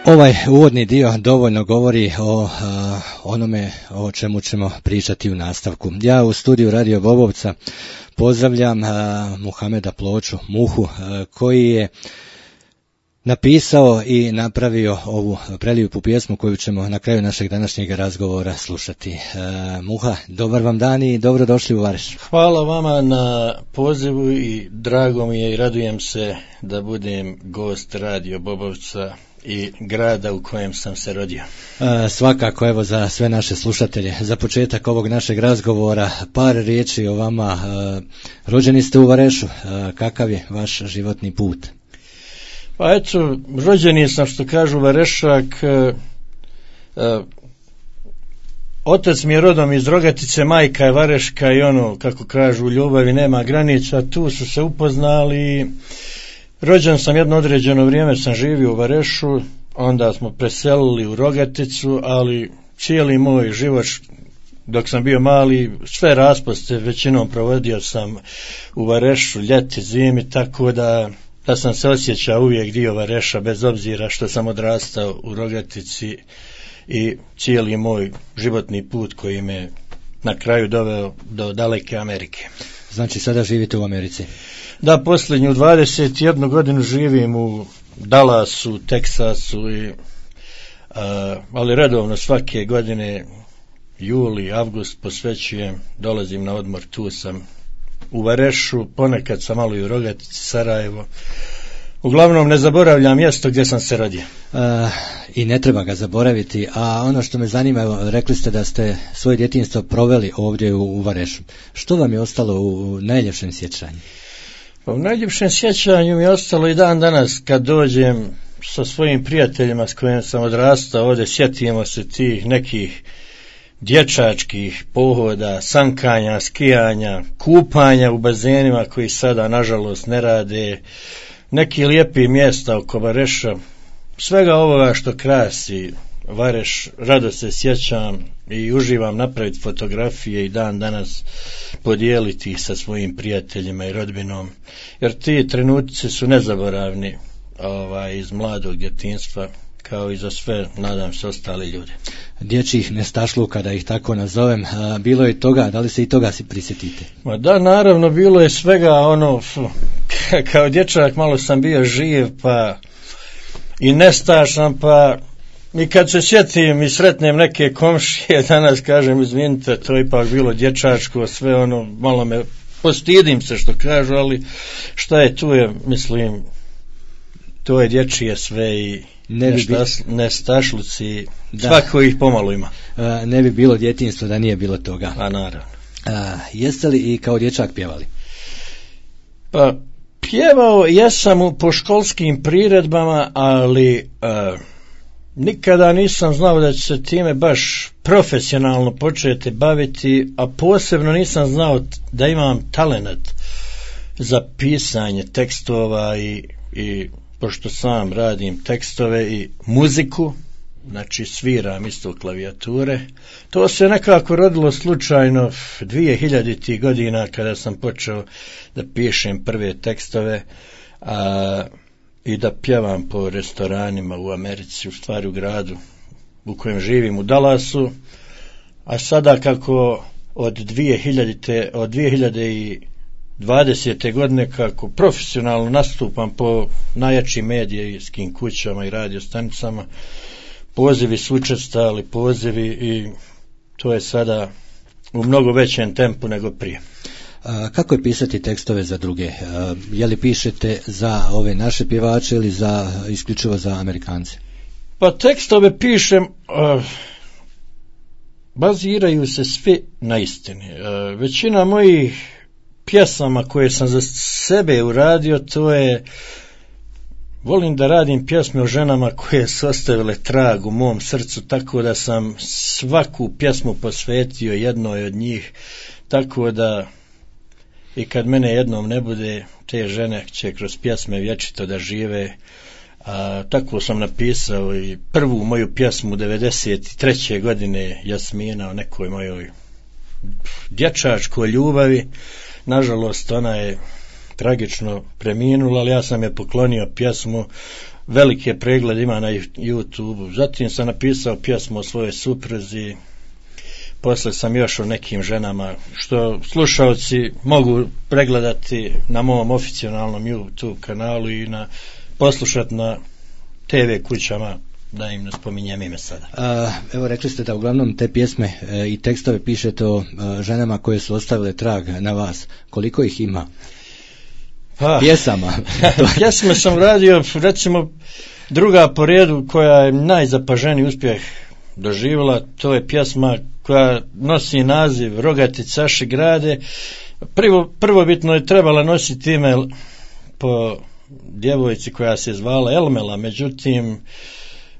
Ovaj uvodni dio dovoljno govori o onome o čemu ćemo pričati u nastavku. Ja u studiju Radio Bobovca pozdravljam Muhameda Ploču, Muhu, koji je napisao i napravio ovu prelijepu pjesmu koju ćemo na kraju našeg današnjeg razgovora slušati. Muha, dobar vam dan i dobrodošli u Vareš. Hvala vama na pozivu i drago mi je i radujem se da budem gost Radio Bobovca i grada u kojem sam se rodio. Svakako, evo, za sve naše slušatelje, za početak ovog našeg razgovora par riječi o vama. Rođeni ste u Varešu, kakav je vaš životni put? Pa eto, rođeni sam, što kažu, Varešak. Otac mi je rodom iz Rogatice, majka je Vareška i ono, kako kažu, u ljubavi nema granica, tu su se upoznali. Rođen sam jedno određeno vrijeme, sam živio u Varešu, onda smo preselili u Rogaticu, ali cijeli moj život dok sam bio mali, sve raspuste većinom provodio sam u Varešu, ljeti, zimi, tako da sam se osjećao uvijek dio Vareša, bez obzira što sam odrastao u Rogatici i cijeli moj životni put koji me na kraju doveo do daleke Amerike. Znači sada živite u Americi? Da, posljednju 21 godinu živim u Dallasu, Teksasu, ali redovno svake godine, juli, avgust posvećujem, dolazim na odmor, tu sam u Varešu, ponekad sam malo i u Rogatici, Sarajevo. Uglavnom ne zaboravljam mjesto gdje sam se rodio. I ne treba ga zaboraviti, a ono što me zanima, evo, rekli ste da ste svoje djetinjstvo proveli ovdje u Varešu. Što vam je ostalo u najljepšem sjećanju? U najljepšem sjećanju mi je ostalo i dan danas kad dođem sa svojim prijateljima s kojim sam odrastao ovdje, sjetimo se tih nekih dječačkih pohoda, sankanja, skijanja, kupanja u bazenima koji sada nažalost ne rade, neki lijepi mjesta oko Vareša, svega ovoga što krasi Vareš, rado se sjećam i uživam napraviti fotografije i dan danas podijeliti sa svojim prijateljima i rodbinom, jer ti trenutci su nezaboravni iz mladog djetinjstva, kao i za sve, nadam se, ostali ljudi. Dječjih nestašluka, da ih tako nazovem, bilo je toga, da li se i toga si prisjetite? Ma da, naravno, bilo je svega, kao dječak malo sam bio živ, pa i nestašan, pa i kad se sjetim i sretnem neke komšije, danas kažem, izvinite, to je ipak bilo dječačko, sve malo me postidim se što kažu, ali šta je tu je, mislim, to je dječje sve i nestašluci, svako ih pomalo ima. Ne bi bilo djetinjstvo da nije bilo toga. A naravno. Jeste li i kao dječak pjevali? Pa pjevao jesam po školskim priredbama, ali nikada nisam znao da ću se time baš profesionalno početi baviti, a posebno nisam znao da imam talenat za pisanje tekstova i pošto sam radim tekstove i muziku, znači sviram isto klavijature, to se nekako rodilo slučajno 2000. godina kada sam počeo da pišem prve tekstove i da pjevam po restoranima u Americi, u stvari u gradu u kojem živim, u Dallasu, a sada kako od 2020. godine kako profesionalno nastupam po najjačim medijskim kućama i radiostanicama, pozivi su učestali, pozivi, i to je sada u mnogo većem tempu nego prije. Kako je pisati tekstove za druge? Je li pišete za ove naše pjevače ili isključivo za Amerikance? Pa tekstove pišem, baziraju se svi na istini. Većina mojih pjesama koje sam za sebe uradio, to je, volim da radim pjesme o ženama koje su ostavile trag u mom srcu, tako da sam svaku pjesmu posvetio jednoj od njih, tako da i kad mene jednom ne bude, te žene će kroz pjesme vječito da žive. Tako sam napisao i prvu moju pjesmu 93. godine, Jasmina, o nekoj mojoj dječačkoj ljubavi. Nažalost, ona je tragično preminula, ali ja sam je poklonio pjesmu velike preglede ima na YouTube. Zatim sam napisao pjesmu o svojoj supruzi. Posle sam još o nekim ženama, što slušalci mogu pregledati na mom oficijalnom YouTube kanalu i poslušati na TV kućama, da im ne spominjem ime sada. Evo, rekli ste da uglavnom te pjesme i tekstove pišete o ženama koje su ostavile trag na vas. Koliko ih ima? Pjesama. Pjesme sam radio, recimo, druga po redu koja je najzapaženiji uspjeh doživjela, to je pjesma koja nosi naziv Rogati caši grade. Prvobitno je trebala nositi ime po djevojci koja se zvala Elmela, međutim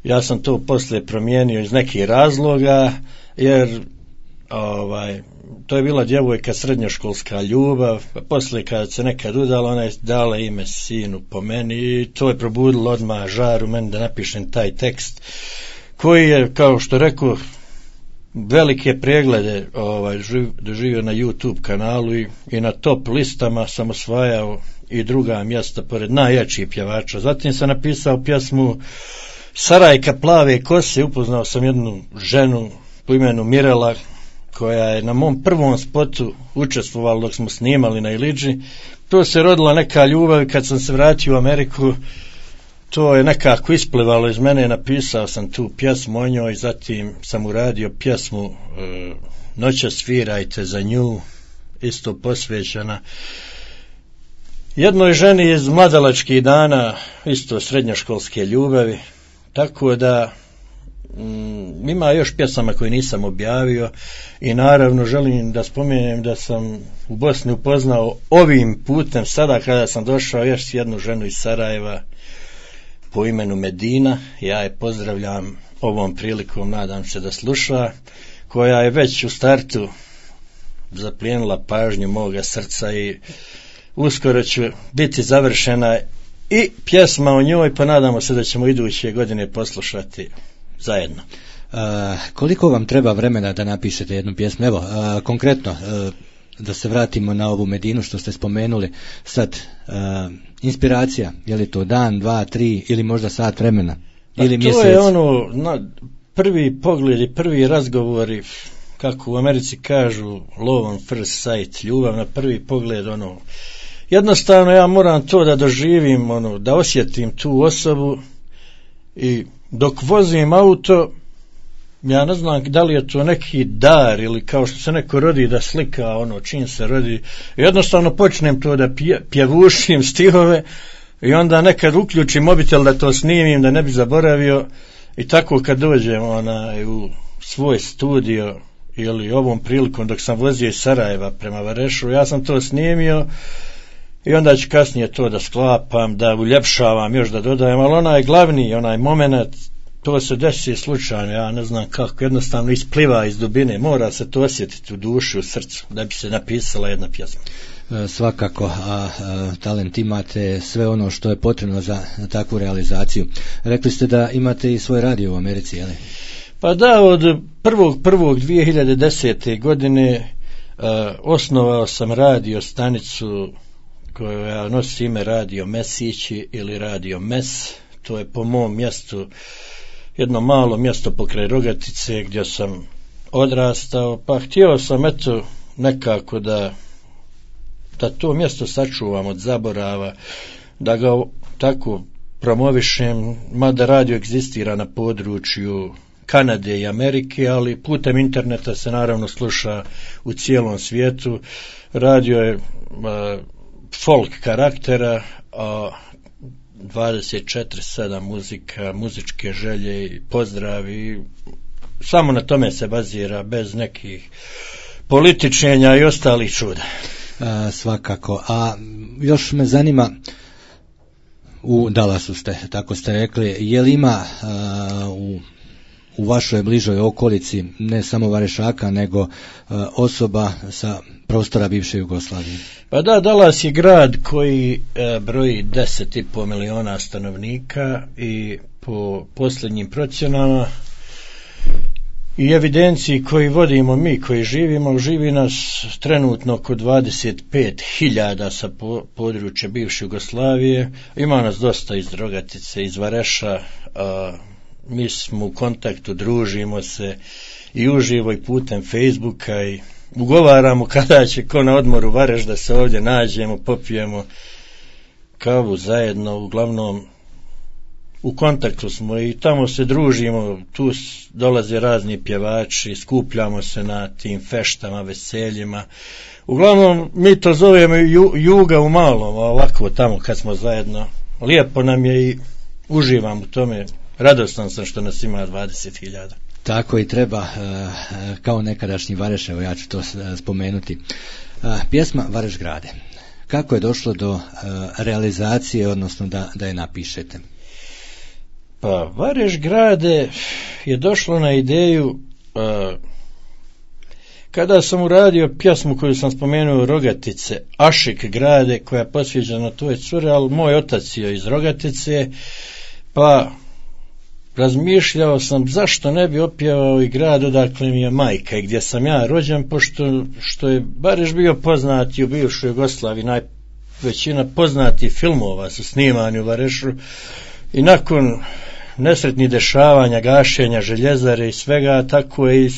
ja sam to poslije promijenio iz nekih razloga, jer to je bila djevojka srednjoškolska ljubav, pa poslije kad se nekad udala, ona je dala ime sinu po meni i to je probudilo odmah žar u meni da napišem taj tekst koji je, kao što rekao, velike preglede doživio na YouTube kanalu i na top listama sam osvajao i druga mjesta pored najjačih pjevača. Zatim sam napisao pjesmu Sarajka plave kose, upoznao sam jednu ženu po imenu Mirela koja je na mom prvom spotu učestvovala dok smo snimali na Ilidži. To se rodila neka ljubav i kad sam se vratio u Ameriku to je nekako isplivalo iz mene, napisao sam tu pjesmu o njoj, zatim sam uradio pjesmu Noća svirajte za nju, isto posvećena jednoj ženi iz mladalačkih dana, isto srednjoškolske ljubavi, tako da ima još pjesama koje nisam objavio i naravno želim da spomenem da sam u Bosni upoznao ovim putem sada kada sam došao još jednu ženu iz Sarajeva po imenu Medina. Ja je pozdravljam ovom prilikom, nadam se da sluša, koja je već u startu zaplijenila pažnju moga srca i uskoro će biti završena i pjesma o njoj, pa nadamo se da ćemo iduće godine poslušati zajedno. Koliko vam treba vremena da napišete jednu pjesmu? Evo, konkretno, da se vratimo na ovu Medinu što ste spomenuli sad, inspiracija, je li to dan, dva, tri ili možda sat vremena? Ili mjesec? To je prvi pogled i prvi razgovori, kako u Americi kažu love on first sight, ljubav na prvi pogled, jednostavno ja moram to da doživim, da osjetim tu osobu i dok vozim auto, ja ne znam da li je to neki dar ili kao što se neko rodi da slika čim se rodi, jednostavno počnem to da pjevušim stihove i onda nekad uključim mobitel da to snimim, da ne bi zaboravio i tako kad dođem u svoj studio ili ovom prilikom dok sam vozio iz Sarajeva prema Varešu, ja sam to snimio i onda ću kasnije to da sklapam, da uljepšavam, još da dodajem, ali onaj glavni, onaj moment, to se desi slučajno, ja ne znam kako, jednostavno ispliva iz dubine, mora se to osjetiti u duši, u srcu, da bi se napisala jedna pjesma. Svakako, a talent imate, sve ono što je potrebno za takvu realizaciju. Rekli ste da imate i svoj radio u Americi, je li? Pa da, od 1.1.2010. godine osnovao sam radio stanicu koja nosi ime Radio Mesići ili Radio Mes. To je po mom mjestu jedno malo mjesto pokraj Rogatice gdje sam odrastao, pa htio sam nekako da to mjesto sačuvam od zaborava, da ga tako promovišem, mada radio egzistira na području Kanade i Amerike, ali putem interneta se naravno sluša u cijelom svijetu. Radio je folk karaktera, a 24/7 muzika, muzičke želje i pozdravi, samo na tome se bazira, bez nekih političenja i ostalih čuda. Svakako, a još me zanima, u Dallasu ste, tako ste rekli, je li ima u vašoj bližoj okolici ne samo Varešaka, nego osoba sa prostora bivše Jugoslavije? Pa da, Dallas je grad koji broji 10,5 miliona stanovnika i po posljednjim procjenama i evidenciji koji vodimo mi, koji živimo, živi nas trenutno oko 25.000 sa područja bivše Jugoslavije. Ima nas dosta iz Rogatice, iz Vareša, mi smo u kontaktu, družimo se i uživo i putem Facebooka i ugovaramo kada će ko na odmoru Vareš da se ovdje nađemo, popijemo kavu zajedno, uglavnom u kontaktu smo i tamo se družimo, tu dolaze razni pjevači, skupljamo se na tim feštama, veseljima. Uglavnom mi to zovemo juga u malom, ovako tamo kad smo zajedno. Lijepo nam je i uživam u tome, radostan sam što nas ima 20.000. Tako i treba, kao nekadašnji Vareš, evo ja ću to spomenuti. Pjesma Vareš grade. Kako je došlo do realizacije, odnosno da je napišete? Pa Vareš grade je došlo na ideju kada sam uradio pjesmu koju sam spomenuo Rogatice, Ašik grade, koja je posvećena toj cure, ali moj otac je iz Rogatice, pa razmišljao sam zašto ne bi opjevao i grad odakle mi je majka i gdje sam ja rođen, pošto što je Vareš bio poznati u bivšoj Jugoslaviji, većina poznatih filmova su snimani u Varešu i nakon nesretnih dešavanja, gašenja željezare i svega, tako je i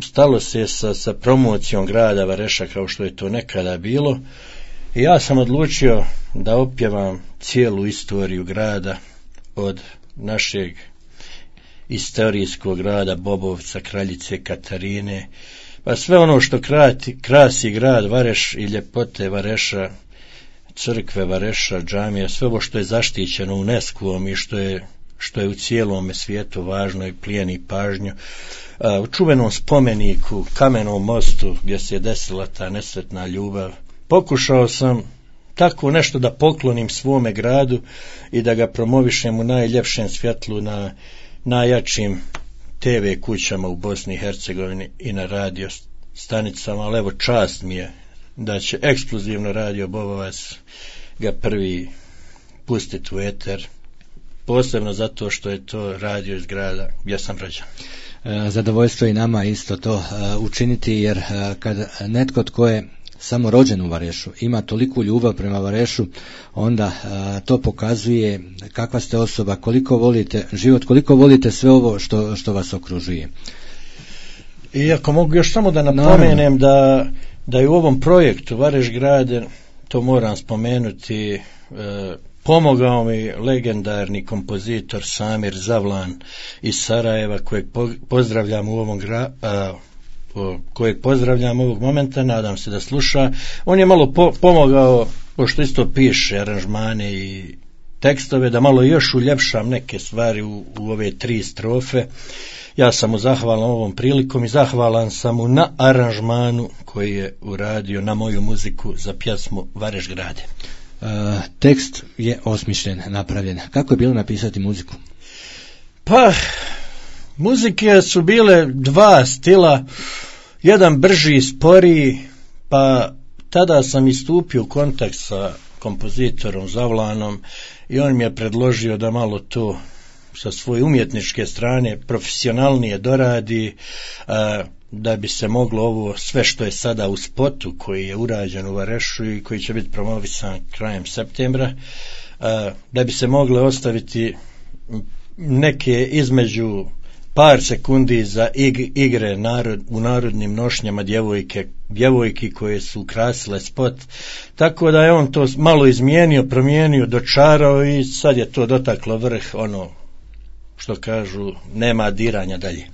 stalo se sa promocijom grada Vareša kao što je to nekada bilo i ja sam odlučio da opjevam cijelu istoriju grada od našeg istorijskog grada Bobovca, Kraljice Katarine, pa sve ono što krasi grad Vareš i ljepote Vareša, crkve Vareša, džamija, sve ovo što je zaštićeno UNESCO-om i što je u cijelom svijetu važno i plijeni pažnju. U čuvenom spomeniku, Kamenom mostu gdje se je desila ta nesretna ljubav, pokušao sam tako nešto da poklonim svome gradu i da ga promovišem u najljepšem svjetlu na najjačim TV kućama u Bosni i Hercegovini i na radio stanicama, ali evo čast mi je da će ekskluzivno radio Bobovac ga prvi pustiti u eter, posebno zato što je to radio iz grada gdje sam rođen. Zadovoljstvo i nama isto to učiniti, jer kad netko tko je samo rođen u Varešu ima toliku ljubav prema Varešu, onda to pokazuje kakva ste osoba, koliko volite život, koliko volite sve ovo što vas okružuje. I ako mogu još samo da napomenem da je u ovom projektu Vareš grade, to moram spomenuti, pomogao mi legendarni kompozitor Samir Zavlan iz Sarajeva, kojeg pozdravljam u ovom kojeg pozdravljam ovog momenta, nadam se da sluša. On je malo pomogao, pošto isto piše aranžmane i tekstove, da malo još uljepšam neke stvari u ove 3 strofe. Ja sam mu zahvalan ovom prilikom i zahvalan sam mu na aranžmanu koji je uradio na moju muziku za pjesmu Vareš grade. Tekst je osmišljen, napravljen. Kako je bilo napisati muziku? Pa, muzike su bile 2 stila, jedan brži, sporiji, pa tada sam istupio u kontakt sa kompozitorom Zavlanom i on mi je predložio da malo to sa svoje umjetničke strane profesionalnije doradi, da bi se moglo ovo sve što je sada u spotu koji je urađen u Varešu i koji će biti promovisan krajem septembra, da bi se mogle ostaviti neke između par sekundi za igre u narodnim nošnjama djevojki koje su ukrasile spot, tako da je on to malo izmijenio, promijenio, dočarao i sad je to dotaklo vrh, ono što kažu, nema diranja dalje.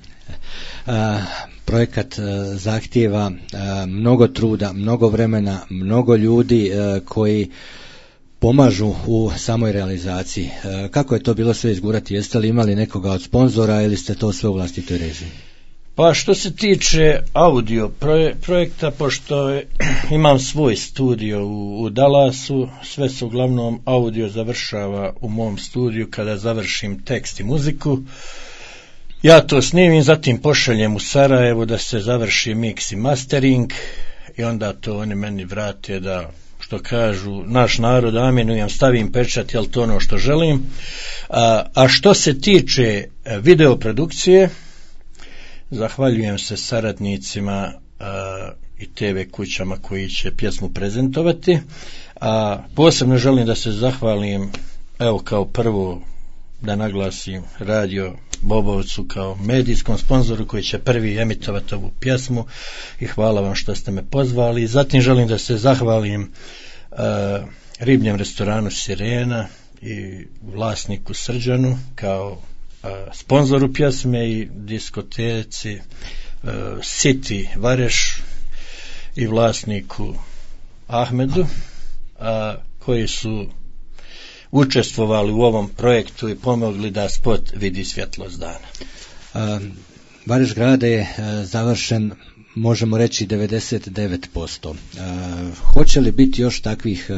Projekat zahtijeva mnogo truda, mnogo vremena, mnogo ljudi koji pomažu u samoj realizaciji. Kako je to bilo sve izgurati? Jeste li imali nekoga od sponzora ili ste to sve u vlastitoj režiji? Pa što se tiče audio projekta, pošto imam svoj studio u Dallasu, sve se uglavnom audio završava u mom studiju kada završim tekst i muziku. Ja to snimim, zatim pošaljem u Sarajevo da se završi mix i mastering i onda to oni meni vrate da, što kažu naš narod, amenujem, stavim pečat, jel to ono što želim. A što se tiče video produkcije. Zahvaljujem se saradnicima i TV kućama koji će pjesmu prezentovati. A posebno želim da se zahvalim, evo kao prvo da naglasim Radio Bobovcu kao medijskom sponzoru koji će prvi emitovati ovu pjesmu i hvala vam što ste me pozvali. Zatim želim da se zahvalim ribljem restoranu Sirena i vlasniku Srđanu kao sponzoru pjesme i diskoteci City Vareš i vlasniku Ahmedu koji su učestvovali u ovom projektu i pomogli da spot vidi svjetlost dana. Vareš grad je završen, možemo reći 99%. Hoće li biti još takvih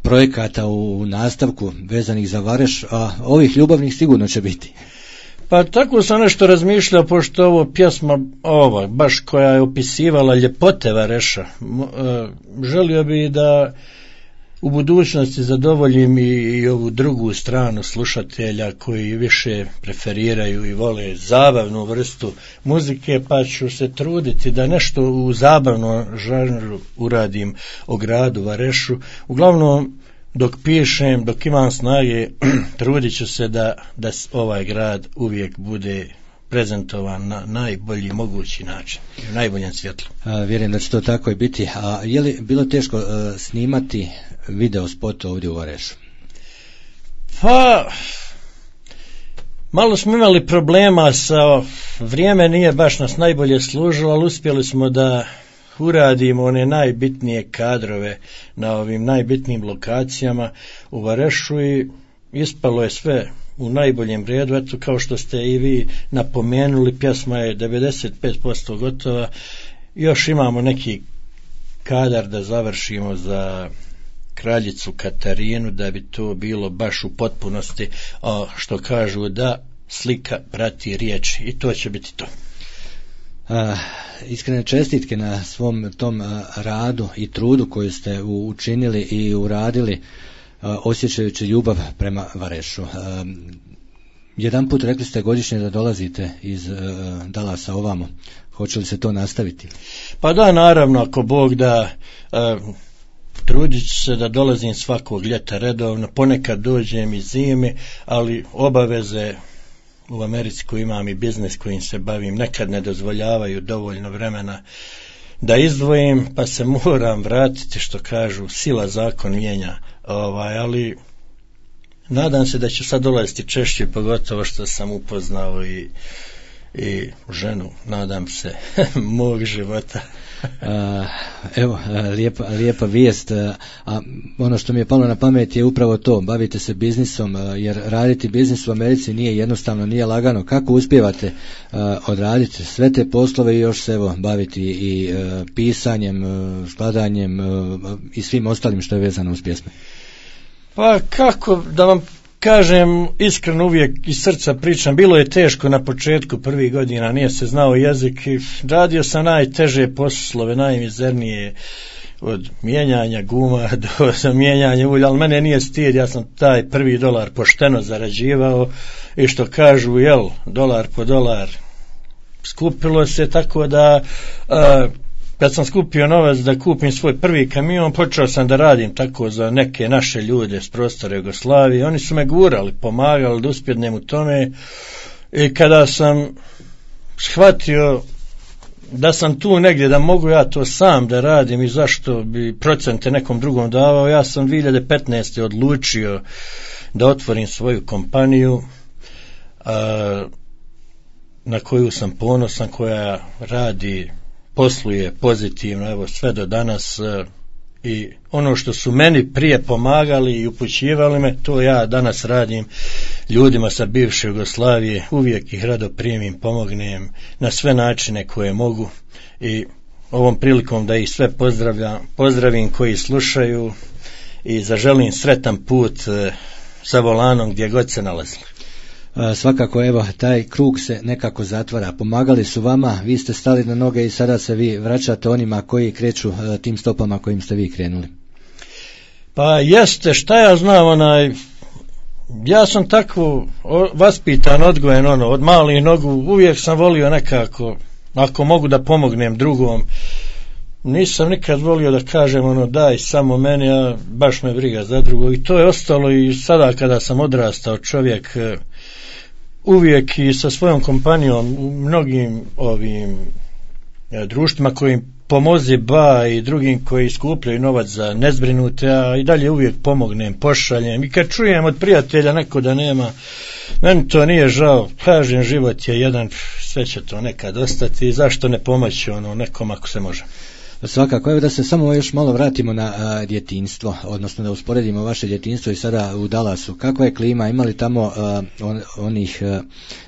projekata u nastavku vezanih za Vareš, a ovih ljubavnih sigurno će biti? Pa tako sam nešto razmišljao, pošto ovo pjesma ova, baš koja je opisivala ljepote Vareša, želio bi da u budućnosti zadovoljim i ovu drugu stranu slušatelja koji više preferiraju i vole zabavnu vrstu muzike, pa ću se truditi da nešto u zabavnom žanru uradim o gradu Varešu. Uglavnom, dok pišem, dok imam snage, trudit ću se da ovaj grad uvijek bude prezentovan na najbolji mogući način, u najboljem svjetlu. Vjerujem da će to tako i biti. A je li bilo teško snimati video spot ovdje u Varešu? Pa, malo smo imali problema vrijeme nije baš nas najbolje služilo, ali uspjeli smo da uradimo one najbitnije kadrove na ovim najbitnijim lokacijama u Varešu i ispalo je sve u najboljem redu. Eto, kao što ste i vi napomenuli, pjesma je 95% gotova, još imamo neki kadar da završimo za kraljicu Katarinu, da bi to bilo baš u potpunosti, što kažu da slika prati riječ, i to će biti to. Iskrene čestitke na svom tom radu i trudu koju ste učinili i uradili, osjećajući ljubav prema Varešu. Jedan put rekli ste godišnje da dolazite iz Dallasa ovamo. Hoće li se to nastaviti? Pa da, naravno, ako Bog da, trudit ću se da dolazim svakog ljeta redovno, ponekad dođem i zime, ali obaveze u Americi koju imam i biznis kojim se bavim nekad ne dozvoljavaju dovoljno vremena da izdvojim, pa se moram vratiti, što kažu, sila zakon mijenja, ali nadam se da ću sad dolaziti češće, pogotovo što sam upoznao i ženu, nadam se, mog života. Evo, lijepa vijest, a ono što mi je palo na pamet je upravo to, bavite se biznisom, jer raditi biznis u Americi nije jednostavno, nije lagano. Kako uspijevate odraditi sve te poslove i još se baviti i pisanjem, skladanjem i svim ostalim što je vezano uz pjesme? Pa kako da vam kažem, iskreno uvijek iz srca pričam, bilo je teško na početku prvih godina, nije se znao jezik i radio sam najteže poslove, najmizernije, od mijenjanja guma do mijenjanja ulja, ali mene nije stid, ja sam taj $1 pošteno zarađivao i što kažu, dolar po dolar, skupilo se, tako da kad sam skupio novac da kupim svoj prvi kamion, počeo sam da radim tako za neke naše ljude s prostora Jugoslavije. Oni su me gurali, pomagali da uspjednem u tome, i kada sam shvatio da sam tu negdje, da mogu ja to sam da radim i zašto bi procente nekom drugom davao, ja sam 2015. odlučio da otvorim svoju kompaniju na koju sam ponosan, koja radi, posluje pozitivno, evo sve do danas, i ono što su meni prije pomagali i upućivali me, to ja danas radim ljudima sa bivše Jugoslavije, uvijek ih rado primim, pomognem na sve načine koje mogu, i ovom prilikom da ih sve pozdravim koji slušaju i zaželim sretan put sa volanom gdje god se nalazili. Svakako, evo, taj krug se nekako zatvara. Pomagali su vama, vi ste stali na noge i sada se vi vraćate onima koji kreću tim stopama kojim ste vi krenuli. Pa jeste, šta ja znam, Ja sam tako vaspitan, odgojen, od malih nogu, uvijek sam volio nekako, ako mogu da pomognem drugom, nisam nikad volio da kažem daj samo meni, a baš me briga za drugog, i to je ostalo i sada kada sam odrastao čovjek, uvijek i sa svojom kompanijom u mnogim ovim društvima kojim Pomozi ba i drugim koji skupljaju novac za nezbrinute, a i dalje uvijek pomognem, pošaljem, i kad čujem od prijatelja neko da nema, meni to nije žao, kažem, život je jedan, sve će to nekad ostati, zašto ne pomoći nekom ako se može. Svakako, evo da se samo još malo vratimo na djetinjstvo, odnosno da usporedimo vaše djetinjstvo i sada u Dallasu. Kakva je klima, ima li tamo onih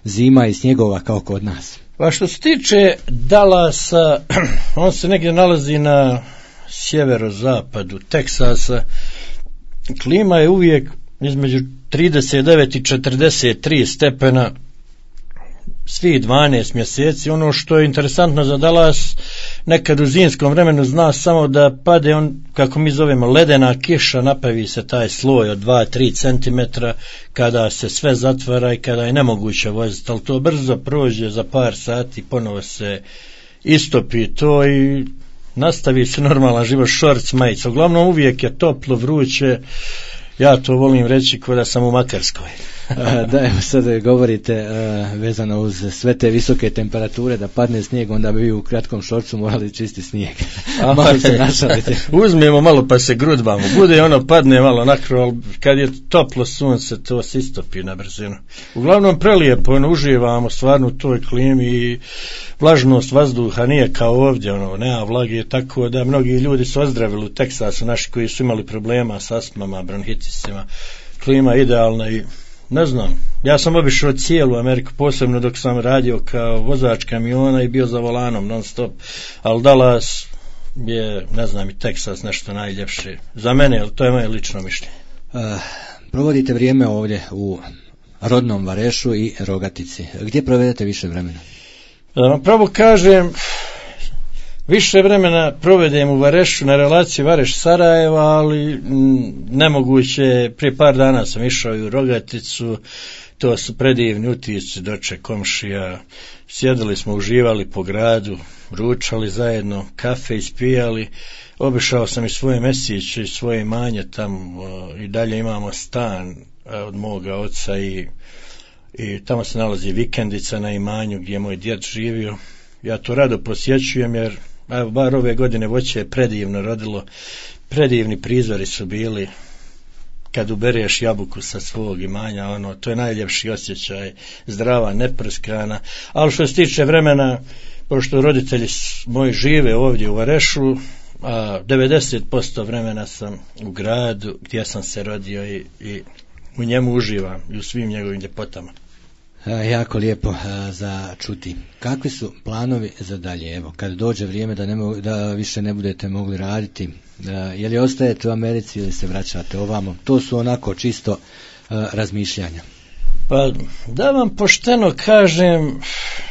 zima i snjegova kao kod nas? Pa što se tiče Dallasa, on se negdje nalazi na sjeverozapadu Teksasa, klima je uvijek između 39 i 43 stepena svih 12 mjeseci. Ono što je interesantno za Dallas, nekad u zimskom vremenu zna samo da pade kako mi zovemo ledena kiša, napravi se taj sloj od 2-3 cm kada se sve zatvara i kada je nemoguće voziti, ali to brzo prođe, za par sati ponovo se istopi to i nastavi se normalan život, šorc, majica. Uglavnom uvijek je toplo, vruće, ja to volim reći kao da sam u Makarskoj. Da, evo sad govorite vezano uz sve te visoke temperature, da padne snijeg, onda bi vi u kratkom šorcu morali čisti snijeg. Malo se našalite. Uzmemo malo pa se grudbamo, bude padne malo nakro, ali kad je toplo sunce to se istopi na brzinu. Uglavnom prelijepo, uživamo stvarno u toj klimi i vlažnost vazduha nije kao ovdje, nema vlage, tako da mnogi ljudi su ozdravili u Teksasu, naši koji su imali problema s astmama, bronhitisima. Klima idealna i ne znam, ja sam obišao cijelu Ameriku, posebno dok sam radio kao vozač kamiona i bio za volanom non stop, ali Dallas je, ne znam, i Teksas nešto najljepše za mene, ali to je moje lično mišljenje. Provodite vrijeme ovdje u rodnom Varešu i Rogatici. Gdje provedete više vremena? Pravo kažem, više vremena provedem u Varešu, na relaciji Vareš-Sarajeva, ali nemoguće, prije par dana sam išao i u Rogaticu, to su predivni utisci, doček komšija, sjedili smo, uživali po gradu, ručali zajedno, kafe ispijali, obišao sam i svoje mesiće i svoje imanje tamo, i dalje imamo stan od moga oca i tamo se nalazi vikendica na imanju gdje je moj djed živio. Ja to rado posjećujem jer bar ove godine voće je predivno rodilo, predivni prizori su bili kad ubereš jabuku sa svog imanja, to je najljepši osjećaj, zdrava, neprskana. Ali što se tiče vremena, pošto roditelji moji žive ovdje u Varešu, 90% vremena sam u gradu gdje sam se rodio i u njemu uživam i u svim njegovim ljepotama. Jako lijepo za čuti. Kakvi su planovi za dalje? Evo, kad dođe vrijeme da više ne budete mogli raditi, je li ostajete u Americi ili se vraćate ovamo? To su onako čisto razmišljanja. Pa da vam pošteno kažem,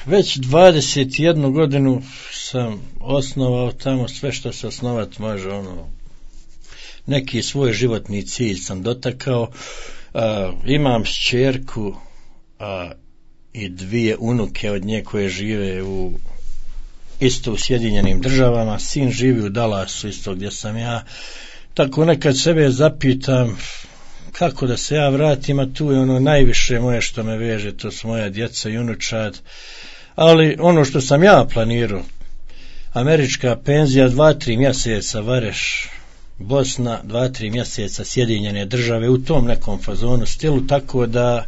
već 21 godinu sam osnovao tamo sve što se osnovati može, neki svoj životni cilj sam dotakao, imam kćerku i 2 unuke od nje koje žive isto u Sjedinjenim Državama, sin živi u Dallasu isto gdje sam ja, tako nekad sebe zapitam kako da se ja vratim, a tu je najviše moje što me veže, to su moja djeca i unučad, ali ono što sam ja planirao, američka penzija 2-3 mjeseca Vareš, Bosna 2-3 mjeseca Sjedinjene Države, u tom nekom fazonu stilu, tako da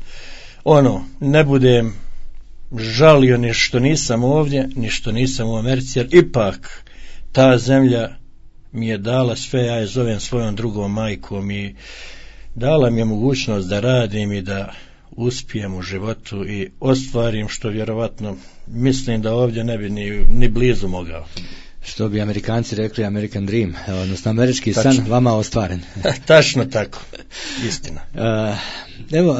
ne budem žalio ni što nisam ovdje, ni što nisam u Americi, jer ipak ta zemlja mi je dala sve, ja je zovem svojom drugom majkom i dala mi je mogućnost da radim i da uspijem u životu i ostvarim što vjerovatno mislim da ovdje ne bi ni blizu mogao. Što bi Amerikanci rekli, American Dream, odnosno američki san vama ostvaren. Tačno tako, istina. Evo,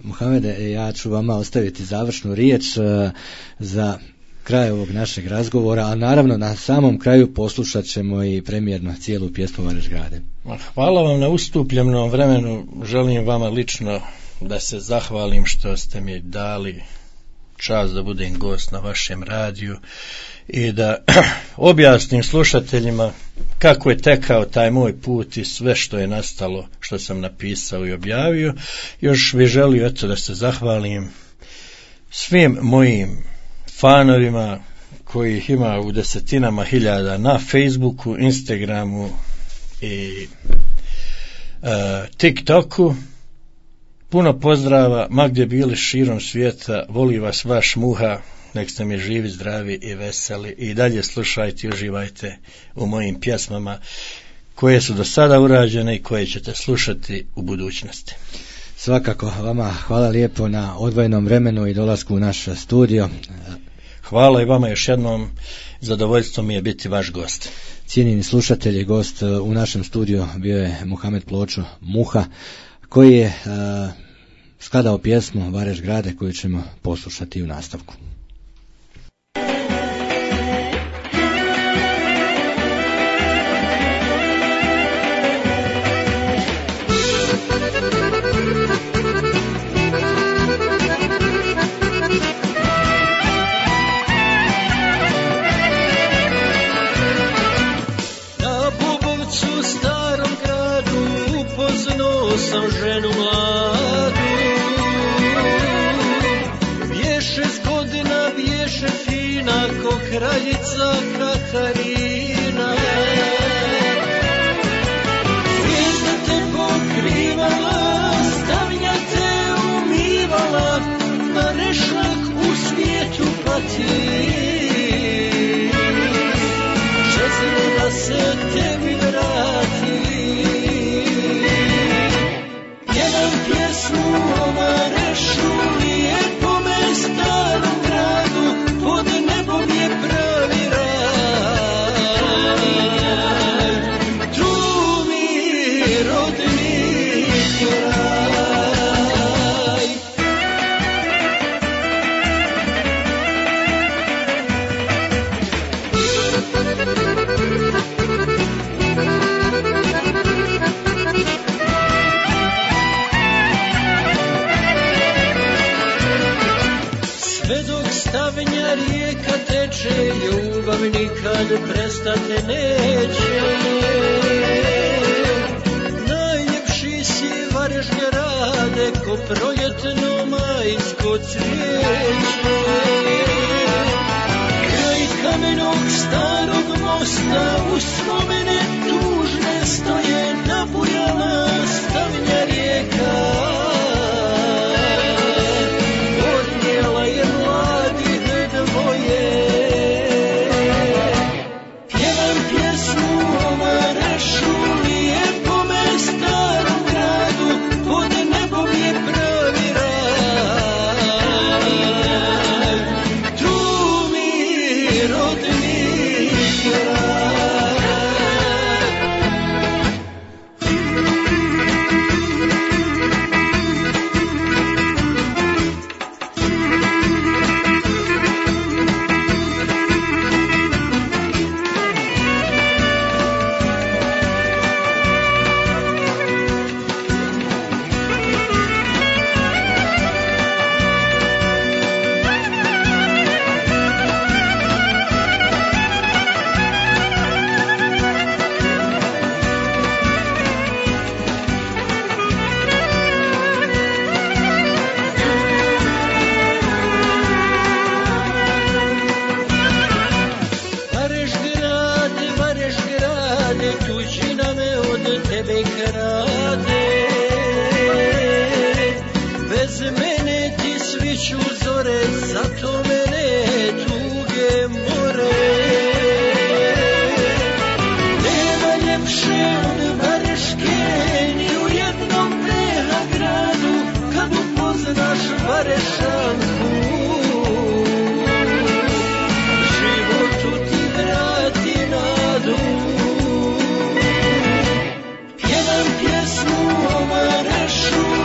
Muhamede, ja ću vama ostaviti završnu riječ za kraj ovog našeg razgovora, a naravno na samom kraju poslušat ćemo i premijerno cijelu pjesmu Varešgrade. Hvala vam na ustupljenom vremenu, želim vama lično da se zahvalim što ste mi dali čast da budem gost na vašem radiju i da objasnim slušateljima kako je tekao taj moj put i sve što je nastalo, što sam napisao i objavio. Još bih želio da se zahvalim svim mojim fanovima kojih ima u desetinama hiljada na Facebooku, Instagramu i TikToku. Puno pozdrava, ma gdje bili širom svijeta, voli vas vaš Muha, nek ste mi živi, zdravi i veseli i dalje slušajte i uživajte u mojim pjesmama koje su do sada urađene i koje ćete slušati u budućnosti. Svakako, vama hvala lijepo na odvojenom vremenu i dolasku u naš studio. Hvala i vama još jednom, zadovoljstvo mi je biti vaš gost. Cijenjeni slušatelji, gost u našem studiju bio je Muhamed Pločo, Muha, koji je skladao pjesmu Varešgrade koju ćemo poslušati u nastavku. Sam ženu mladu, bješe s godina, bješe fina ko kraljica Katarina. Zvijezda te pokrivala, stavnja te umivala, na rešak u svijetu pati. Žezno da se tebi vrati. Pjesmu o Varešu, lijepome starom gradu, pod nebom je pravi raj. Tu mi rodni kraj. Stavnja rijeka teče, ljubav nikad prestati neće. Najljepši si Varešgrade, ko proljetno majsko cvijeće. Kraj kamenog starog mosta uspomene tužne stoje, nabujala stavnja rijeka.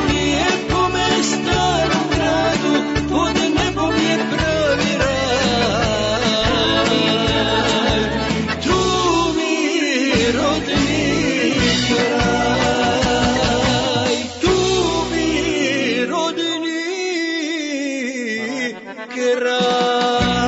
Lijepome starom gradu, pod nebom je pravi raj. para.